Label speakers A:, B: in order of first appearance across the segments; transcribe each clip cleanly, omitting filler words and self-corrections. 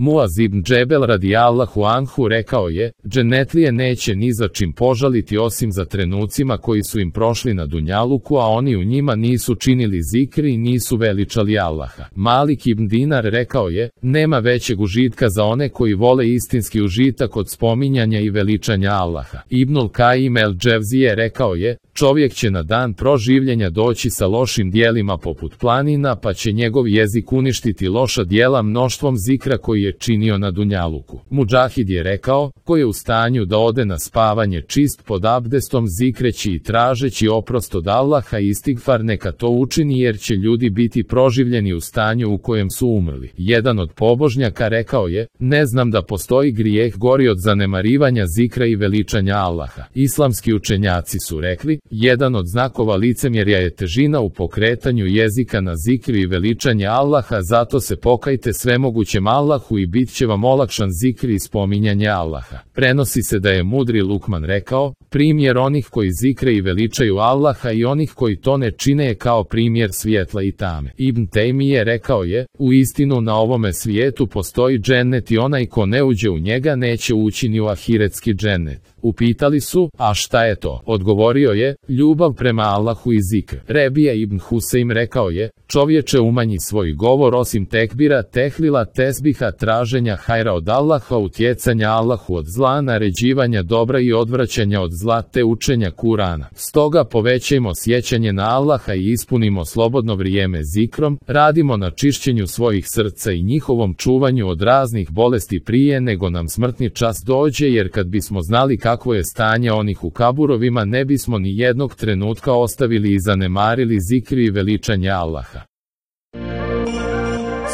A: Muaz ibn Džebel radijallahu anhu rekao je, džennetlije neće ni za čim požaliti osim za trenucima koji su im prošli na dunjaluku, a oni u njima nisu činili zikri i nisu veličali Allaha. Malik ibn Dinar rekao je, nema većeg užitka za one koji vole istinski užitak od spominjanja i veličanja Allaha. Ibnul Kajim el Dževzije rekao je, čovjek će na dan proživljenja doći sa lošim dijelima poput planina, pa će njegov jezik uništiti loša dijela mnoštvom zikra koji je činio na dunjaluku. Mudžahid je rekao, ko je u stanju da ode na spavanje čist pod abdestom zikreći i tražeći oprost od Allaha i istigfar, neka to učini jer će ljudi biti proživljeni u stanju u kojem su umrli. Jedan od pobožnjaka rekao je, ne znam da postoji grijeh gori od zanemarivanja zikra i veličanja Allaha. Islamski učenjaci su rekli, jedan od znakova licemjerja je težina u pokretanju jezika na zikri i veličanje Allaha, zato se pokajte svemogućem Allahu i bit će vam olakšan zikri i spominjanje Allaha. Prenosi se da je mudri Lukman rekao, primjer onih koji zikre i veličaju Allaha i onih koji to ne čine je kao primjer svjetla i tame. Ibn Tejmije rekao je, u istinu na ovome svijetu postoji džennet i onaj ko ne uđe u njega neće ući ni u ahiretski džennet. Upitali su, a šta je to? Odgovorio je, ljubav prema Allahu i zikr. Rebija ibn Huseim rekao je, čovječe umanji svoj govor osim tekbira, tehlila, tesbiha, traženja hajra od Allaha, utjecanja Allahu od zla, naređivanja dobra i odvraćanja od zla te učenja Kurana. Stoga povećajmo sjećanje na Allaha i ispunimo slobodno vrijeme zikrom, radimo na čišćenju svojih srca i njihovom čuvanju od raznih bolesti prije nego nam smrtni čas dođe, jer kad bismo znali kakvo je stanje onih u kaburovima ne bismo ni jednog trenutka ostavili i zanemarili zikri i veličanje Allaha.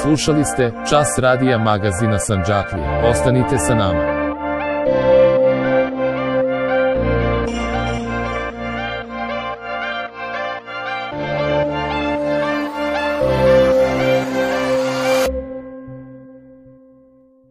A: Slušali ste Čas radija magazina Sandžaklija. Ostanite sa nama.